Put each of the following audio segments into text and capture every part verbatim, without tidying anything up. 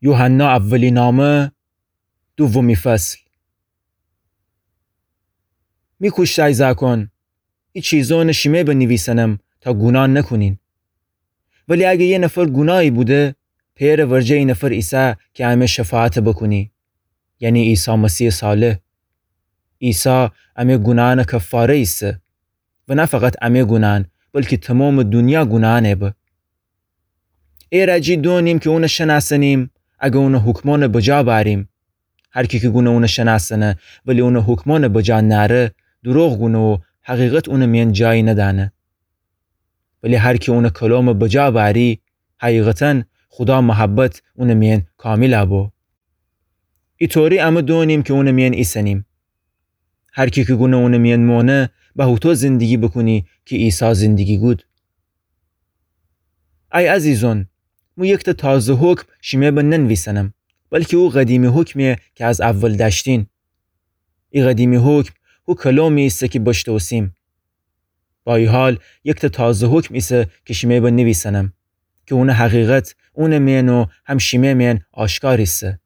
یوحنا اولینامه، دومی فصل. می کوشتأی زأکون، ای چیزأنَ شیمه بنیویسنم تا گوناه نکونین. ولی اگه یه نفر گوناهی بوده، پئرٚ ورجه ای نفر ایسه کی امه شفاعت بکونی، یعنی عیسی مسیحٚ صالح. عیسی امه گوناهأنٚ کفاره ایسه و نه فقط امه گوناهأن، بلکی تومامٚ دونیا گوناهأنٚ به. ایرأ جی دونیم کی اونَ شنأسنیم، اگه اونٚ حکمأنَ بجا بأریم. هر کی کی گونه اونَ شنأسنه ولی اونٚ حکمأنَ بجا نأره، دوروغ گونه و حقیقت اونٚ میأن جایی ندأنه. ولی هر کی اونٚ کلامَ بجا بأری، حقیقتاً خودا محبت اونٚ میأن کامیل بو. ایطوری امه دونیم کی اونٚ میأن ایسنیم. هر کی کی گونه اونٚ میأن مانه، به هوطو زندگی بوکونی کی عیسی زندگی گود. ای عزیزأن، مو یکتأ تازه حکم شیمه بننویسنم، بلکی او قدیمی حکمه کی از اول دأشتین. ای قدیمی حکم هو کلامی ایسه کی بشتوسیم. با ای حال، یکتأ تازه حکم ایسه کی شیمه بنیویسنم، کی اونٚ حقیقت اونٚ میأن و هم شیمه میأن آشکار ایسه.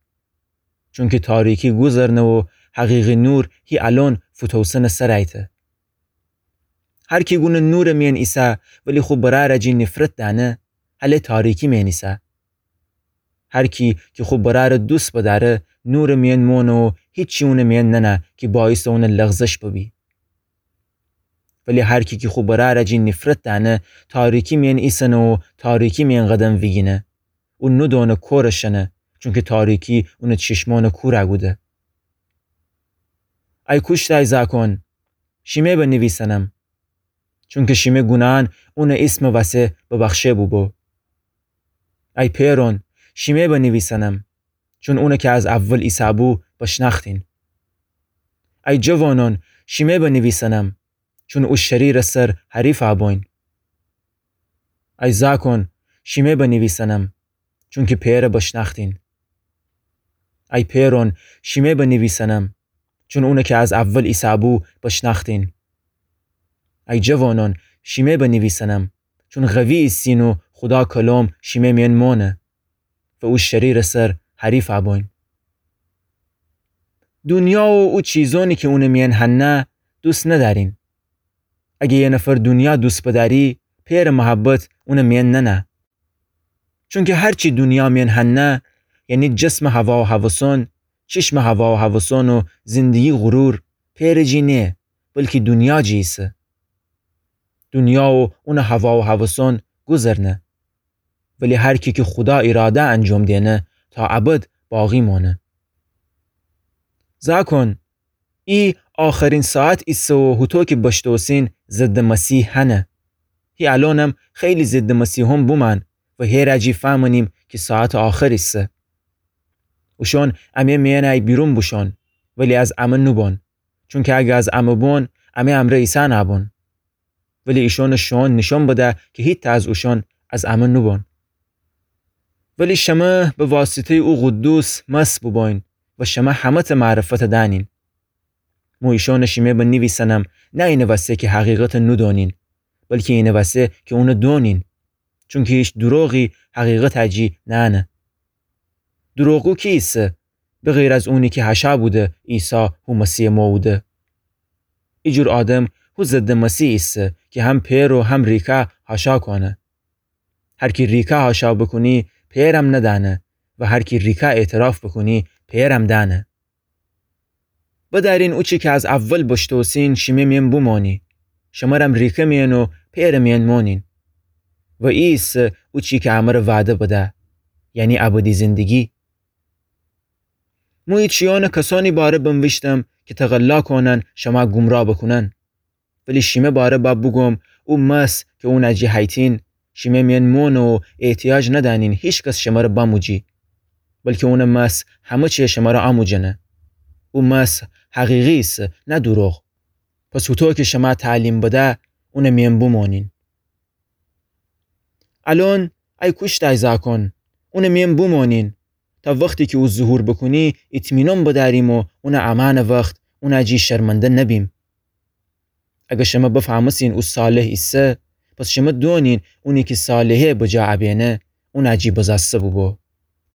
چونکی تاریکی گوذرنه و حقیقی نور هی الأن فوتوسنه سرَ ایتأ. هر کی گونه نورٚ میأن ایسه ولی خو برأرٚ جی نیفرت دأنه، هله تاریکی میأن ایسه. هر کی کی خو برأرٚ دوست بدأره، نورٚ میأن مانه و هیچی اونٚ میأن ننه کی باعثٚ اونٚ لغزش ببی. ولی هر کی کی خو برأرٚ جی نیفرت دأنه، تاریکی میأن ایسنه و تاریکی میأن قدم ویگینه. او نودأنه کورٚ شنه، چونکی تاریکی اونٚ چشمأنَ کور کوده. ای کوشتأی زأکون، شیمه بنیویسنم، چونکی شیمه گوناهأن اونٚ ایسمٚ وسه ببخشه بوبو. ای پئرأن، شیمه بنیویسنم، چون اونَ کی از اول ایسه‌بو بشنأختین. ای جوانأن، شیمه بنیویسنم، چون او شریرٚ سر حریف بوین. ای زأکون، شیمه بنیویسنم، چونکی پئرَ بشنأختین. ای پئرأن، شیمه بنیویسنم، چون اونَ کی از اول ایسه‌بو بشنأختین. ای جوانأن، شیمه بنیویسنم، چون قوی ایسین و خودا کلام شیمه میأن مانه و او شریرٚ سر حریف بوین. دونیا و او چیزأنی کی اونٚ میأن هنه دوست ندأرین. اگه یه نفر دونیا دوست بدأری، پئرٚ محبت اونٚ میأن ننه. چونکی هر چی دونیا میأن هنه، یعنی جسمٚ هوا و هوسأن، چشمٚ هوا و هوسأن و زندگی غرور، پئرٚ جی نیه، بلکی دونیا جی ایسه. دونیا و اونٚ هوا و هوسأن گوذرنه. ولی هر کی کی خودا ایراده انجام دینه، تا ابد باقی مانه. زأکون، ای آخرین ساعت ایسه و هوطو کی بشتوسین ضدٚ مسیح هنه. هی الأنم خیلی ضدٚ مسیحأن بومأن و هیرأ جی فهمنیم کی ساعتٚ آخر ایسه. اوشأن امه میأنٚ بیرون بوشون، ولی از امه نوبون. چونکی اگه از امه بون، امه امرأ ایسه نأبون. ولی ایشأنٚ شوئون نیشأن بده کی هیتأ از اوشأن از امه نوبون. ولی شمه به واسطه‌یٚ او قدوس مس بوبوین و شمه همه‌تأ معرفتَ دأنین. مو ایشأنَ شیمه بنیویسنم، نه اینٚ وسه کی حقیقتَ نودونین، بلکی اینٚ وسه کی اونَ دونین. چونکی هیچ دوروغی حقیقتٚ جی نأنه. دوروغگو کی ایسه، بغیر از اونی کی هشأ بوده عیسی هو مسیحٚ مو بوده؟ ایجور آدم هو ضدٚ مسیح ایسه کی هم پئر و هم ریکه هشأ کونه. هر کی ریکه هشأ بوکونی، پئرم ندأنه و هر کی ریکه اعتراف بوکونی، پئرم دأنه. بدأرین اوچی کی از اول بشتوسین شیمه میأن بومانی. شمرم ریکه میأن و پئرٚ میأن مانین. و ای ایسه اوچی کی امر وعده بده، یعنی ابدی زندگی. مو ای چیأنَ کسأنی باره بنویشتم کی تقلا کونن شمه گمراه بوکونن. ولی شیمه باره بأ بوگوم، او مس کی اونٚ جی هیتین، شیمه میأن مونه و احتیاج ندأنین هیکس شمره بموجی. بلکی اونٚ مس همه چی شمره اموجنه. او مس حقیقی ایسه، نه دوروغ. پس هوطو کی شمه تعلیم بده، اونٚ میأن بومانین. الأن ای کوشتأی زأکون، اونٚ میأن بومانین، تا وختی کی او ظهور بوکونی، اطمینان بدأریم و اونٚ امأنٚ وخت اونٚ جی شرمنده نبیم. اگر شمه بفهمستین او صالح ایسه، پس شمه دونین اونی کی صالحی بجا ابینه، اونٚ جی بزأسته بوبو.